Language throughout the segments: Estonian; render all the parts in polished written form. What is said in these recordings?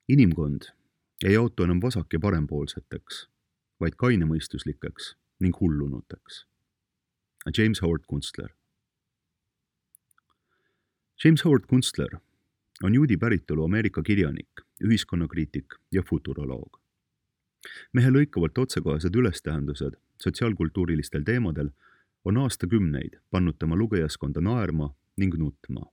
Inimkond ei jaotu enam vasak- ja parempoolseteks, vaid kainemõistuslikeks ning hullunuteks. James Howard Kunstler. James Howard Kunstler on juudi päritolu Ameerika kirjanik, ühiskonnakriitik ja futuroloog. Mehe lõikavalt otsekohesed ülestähendused sotsiaalkultuurilistel teemadel on aastakümneid pannud tema lugejaskonda naerma ning nutma,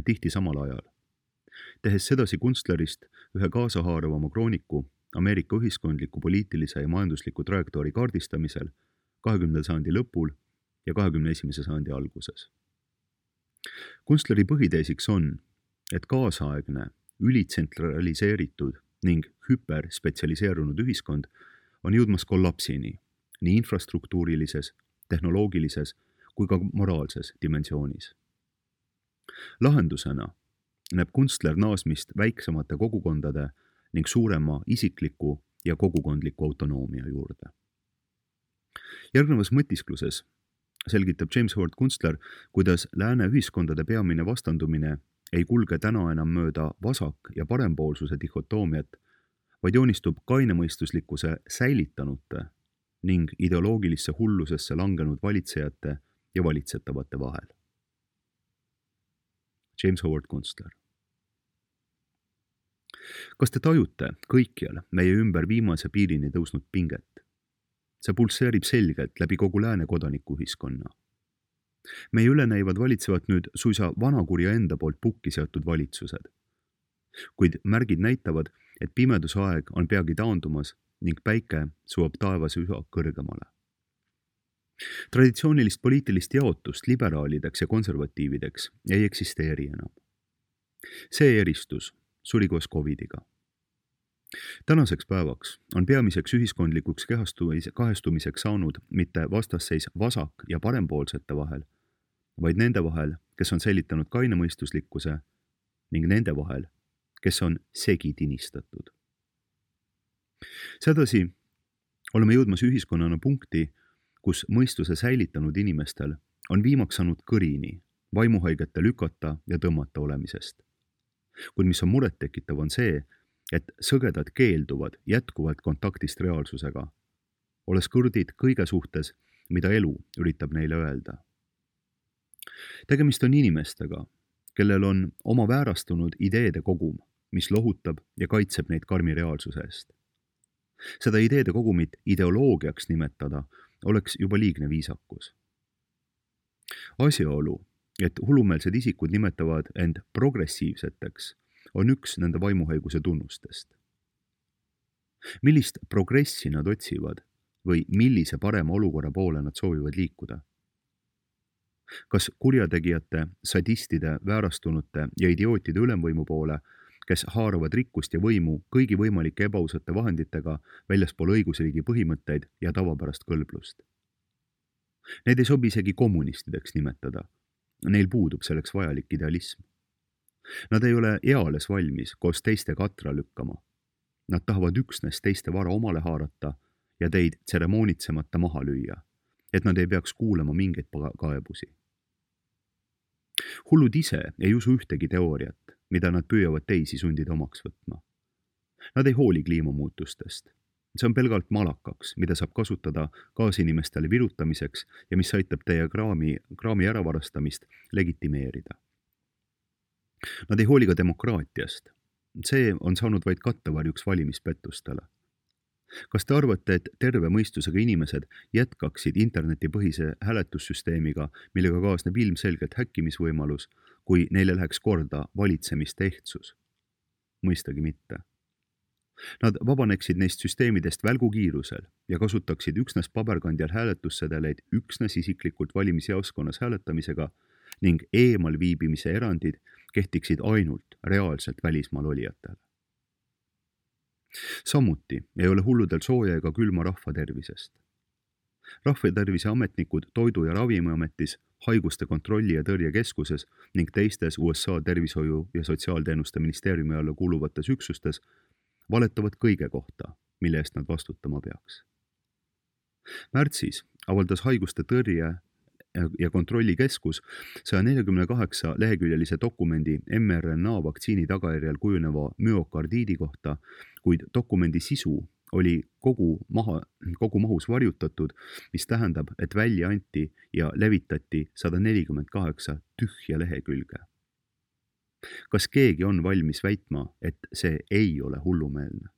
tihti samal ajal. Tehes sedasi Kunstlerist ühe kaasahaaruvama krooniku Ameerika ühiskondliku, poliitilise ja majandusliku trajektoori kaardistamisel 20. sajandi lõpul ja 21. sajandi alguses. Kunstleri põhiteesiks on, et kaasaegne, ülitsentraliseeritud ning hüperspetsialiseerunud ühiskond on jõudmas kollapsini nii infrastruktuurilises, tehnoloogilises kui ka moraalses dimensioonis. Lahendusena näeb Kunstler naasmist väiksemate kogukondade ning suurema isikliku ja kogukondliku autonoomia juurde. Järgnevas mõtiskluses selgitab James Howard Kunstler, kuidas lääne ühiskondade peamine vastandumine ei kulge täna enam mööda vasak- ja parempoolsuse dihhotoomiat, vaid joonistub kainemõistuslikkuse säilitanute ning ideoloogilisse hullusesse langenud valitsejate ja valitsetavate vahel. James Howard Kunstler. Kas te tajute kõikjal meie ümber viimase piirini tõusnud pinget? See pulseerib selgelt läbi kogu lääne kodanikuühiskonna. Meie üle näivad valitsevad nüüd suisa vanakurja enda poolt pukki seotud valitsused. Kuid märgid näitavad, et pimedusaeg on peagi taandumas ning päike suob taevas üha kõrgemale. Traditsioonilist poliitilist jaotust liberaalideks ja konservatiivideks ei eksisteeri enam. See eristus suri koos COVIDiga. Tänaseks päevaks on peamiseks ühiskondlikuks kahestumiseks saanud mitte vastasseis vasak- ja parempoolsete vahel, vaid nende vahel, kes on säilitanud kainemõistuslikkuse ning nende vahel, kes on segi tinistatud. Sedasi oleme jõudmas ühiskonnana punkti, kus mõistuse säilitanud inimestel on viimaks saanud kõrini vaimuhaigete lükata ja tõmmata olemisest. Kuid mis on murettekitav, on see, et sõgedad keelduvad jätkuvalt kontaktist reaalsusega, olles kõrdid kõige suhtes, mida elu üritab neile öelda. Tegemist on inimestega, kellel on oma väärastunud ideede kogum, mis lohutab ja kaitseb neid karmi reaalsuse eest. Seda ideede kogumit ideoloogiaks nimetada oleks juba liigne viisakus. Asjaolu, et hullumeelsed isikud nimetavad end progressiivseteks, on üks nende vaimuhaiguse tunnustest. Millist progressi nad otsivad või millise parema olukorra poole nad soovivad liikuda? Kas kurjategijate, sadistide, väärastunute ja idiootide ülemvõimu poole, kes haaravad rikkust ja võimu kõigi võimalike ebaausate vahenditega väljaspool õigusriigi põhimõtteid ja tavapärast kõlblust? Neid ei sobi isegi kommunistideks nimetada. Neil puudub selleks vajalik idealism. Nad ei ole eales valmis koos teistega atra lükkama. Nad tahavad üksnes teiste vara omale haarata ja teid tseremoonitsemata maha lüüa, et nad ei peaks kuulama mingeid kaebusi. Hullud ise ei usu ühtegi teooriat, mida nad püüavad teisi sundida omaks võtma. Nad ei hooli kliimamuutustest. See on pelgalt malakaks, mida saab kasutada kaasinimestele virutamiseks ja mis aitab teie kraami äravarastamist legitimeerida. Nad ei hooli ka demokraatiast. See on saanud vaid kattevarjuks valimispettustele. Kas te arvate, et terve mõistusega inimesed jätkaksid internetipõhise hääletussüsteemiga, millega kaasneb ilmselgelt häkkimisvõimalus, kui neile läheks korda valitsemiste ehtsus? Mõistagi mitte. Nad vabaneksid neist süsteemidest välgukiirusel ja kasutaksid üksnes paberkandjal hääletussedeleid üksnes isiklikult valimisjaoskonnas hääletamisega ning eemal viibimise erandid kehtiksid ainult reaalselt välismaal olijatele. Samuti ei ole hulludel sooja ega külma rahva tervisest. Rahvatervise ametnikud Toidu- ja Ravimiametis, Haiguste kontrolli- ja tõrjekeskuses ning teistes USA tervishoiu- ja sotsiaalteenuste ministeeriumi alla kuuluvates üksustes valetavad kõige kohta, mille eest nad vastutama peaks. Märtsis avaldas Haiguste tõrje ja Kontrollikeskus 148 leheküljelise dokumendi mRNA vaktsiini tagajärjel kujuneva müokardiidi kohta, kuid dokumendi sisu oli kogu mahus varjutatud, mis tähendab, et välja anti ja levitati 148 tühja lehekülge. Kas keegi on valmis väitma, et see ei ole hullumeelne?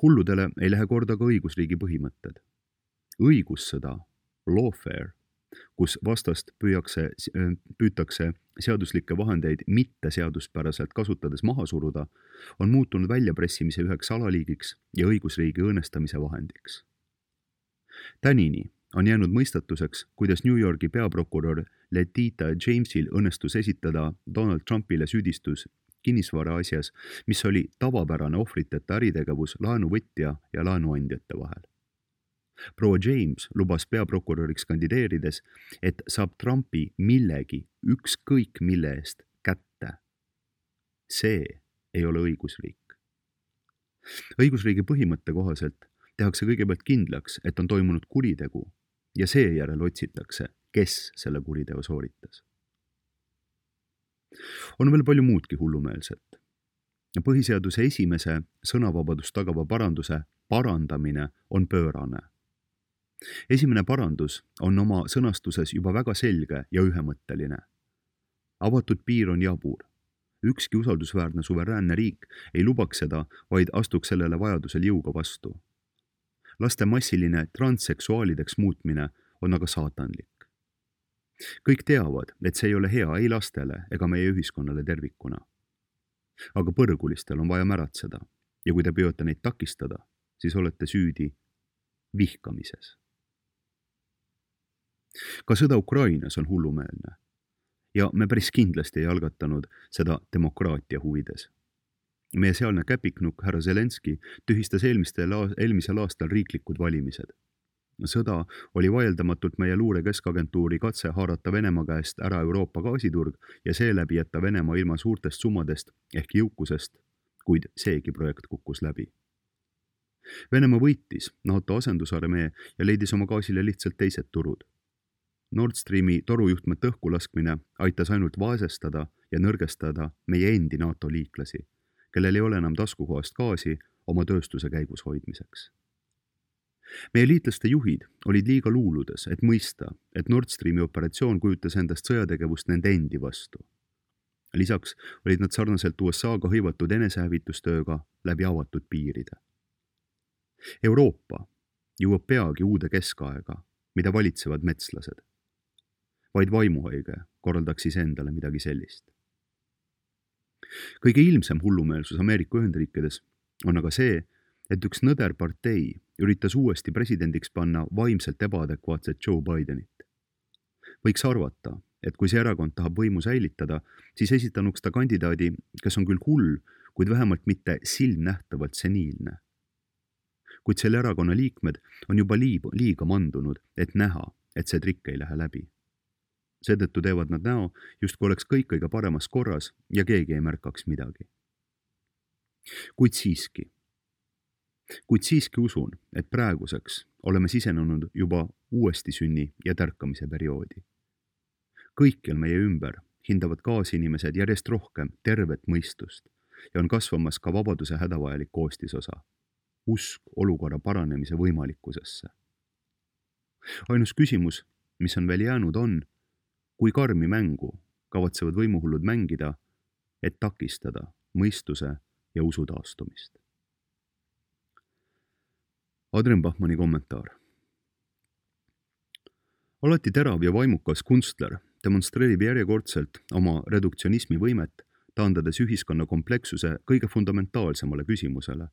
Hulludele ei lähe korda ka õigusriigi põhimõtted. Õigussõda, lawfare, kus vastast püütakse seaduslikke vahendeid mitte seaduspäraselt kasutades maha suruda, on muutunud väljapressimise üheks alaliigiks ja õigusriigi õõnestamise vahendiks. Tänini on jäänud mõistatuseks, kuidas New Yorgi peaprokurör Letitia Jamesil õnnestus esitada Donald Trumpile süüdistus kinnisvara asjas, mis oli tavapärane ohvriteta äritegevus laenuvõtja ja laenuandjate vahel. Proua James lubas peaprokuröriks kandideerides, et saab Trumpi millegi ükskõik mille eest kätte. See ei ole õigusriik. Õigusriigi põhimõtte kohaselt tehakse kõigepealt kindlaks, et on toimunud kuritegu ja seejärel otsitakse, kes selle kuriteo sooritas. On veel palju muudki hullumeelset. Põhiseaduse esimese sõnavabadust tagava paranduse parandamine on pöörane. Esimene parandus on oma sõnastuses juba väga selge ja ühemõtteline. Avatud piir on jabur. Ükski usaldusväärne suveräänne riik ei lubaks seda, vaid astuks sellele vajadusel jõuga vastu. Laste massiline transseksuaalideks muutmine on aga saatanlik. Kõik teavad, et see ei ole hea ei lastele ega meie ühiskonnale tervikuna. Aga põrgulistel on vaja märatseda ja kui te püüate neid takistada, siis olete süüdi vihkamises. Ka sõda Ukrainas on hullumeelne ja me päris kindlasti ei algatanud seda demokraatia huvides. Meie sealne käpiknukk härra Zelenski tühistas eelmisel aastal riiklikud valimised. Sõda oli vaieldamatult meie luure keskagentuuri katse haarata Venemaa käest ära Euroopa gaasiturg ja seeläbi jätta Venemaa ilma suurtest summadest ehk jõukusest, kuid seegi projekt kukkus läbi. Venemaa võitis NATO asendusarmee ja leidis oma gaasile lihtsalt teised turud. Nord Streami torujuhtmete õhku laskmine aitas ainult vaesestada ja nõrgestada meie endi NATO liiklasi, kellel ei ole enam taskukohast gaasi oma tööstuse käigus hoidmiseks. Meie liitlaste juhid olid liiga luuludes, et mõista, et Nord Streami operatsioon kujutas endast sõjategevust nende endi vastu. Lisaks olid nad sarnaselt USA-ga hõivatud enesehävitustööga läbi avatud piiride. Euroopa jõuab peagi uude keskaega, mida valitsevad metslased. Vaid vaimuhaige korraldaks siis endale midagi sellist. Kõige ilmsem hullumeelsus Ameerika Ühendriikides on aga see, et üks nõder partei üritas uuesti presidendiks panna vaimselt ebaadekvaatset Joe Bidenit. Võiks arvata, et kui see erakond tahab võimu säilitada, siis esitanuks ta kandidaadi, kes on küll hull, kuid vähemalt mitte silmnähtavalt seniilne. Kuid selle erakonna liikmed on juba liiga mandunud, et näha, et see trikk ei lähe läbi. Seetõttu teevad nad näo, justkui oleks kõik kõige paremas korras ja keegi ei märkaks midagi. Kuid siiski usun, et praeguseks oleme sisenenud juba uuesti sünni ja tärkamise perioodi. Kõikjal meie ümber hindavad kaasinimesed järjest rohkem tervet mõistust ja on kasvamas ka vabaduse hädavajalik koostisosa, usk olukorra paranemise võimalikkusesse. Ainus küsimus, mis on veel jäänud, on, kui karmi mängu kavatsevad võimuhullud mängida, et takistada mõistuse ja usu taastumist. Adrian Bachmanni kommentaar. Alati terav ja vaimukas kunstler demonstreerib järjekordselt oma reduktsionismi võimet, taandades ühiskonna komplekssuse kõige fundamentaalsemale küsimusele,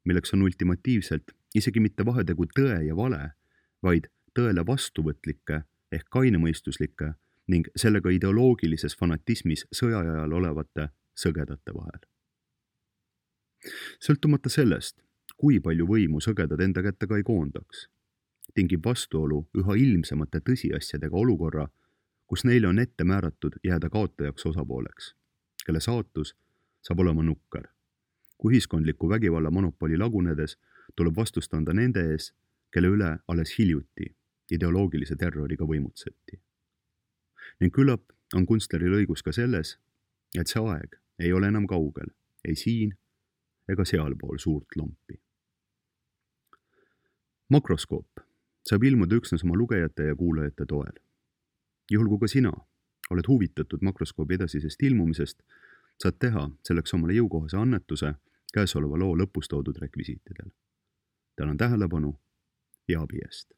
milleks on ultimatiivselt isegi mitte vahetegu tõe ja vale, vaid tõele vastuvõtlike ehk kainemõistuslike ning sellega ideoloogilises fanatismis sõjaajal olevate sõgedate vahel. Sõltumata sellest, kui palju võimu sõgedad enda kätte ka ei koondaks, tingib vastuolu üha ilmsemate tõsiasjadega olukorra, kus neile on ette määratud jääda kaotajaks osapooleks, kelle saatus saab olema nukker. Kui ühiskondliku vägivalla monopoli lagunedes tuleb vastust anda nende ees, kelle üle alles hiljuti ideoloogilise terroriga võimutseti. Ning küllap on kunstleril õigus ka selles, et see aeg ei ole enam kaugel, ei siin ega sealpool suurt lompi. Makroskoop saab ilmuda üksnes oma lugejate ja kuulajate toel. Juhul kui ka sina oled huvitatud makroskoobi edasisest ilmumisest, saad teha selleks omale jõukohase annetuse käesoleva loo lõpus toodud rekvisiitidel. Tänan tähelepanu ja abi eest!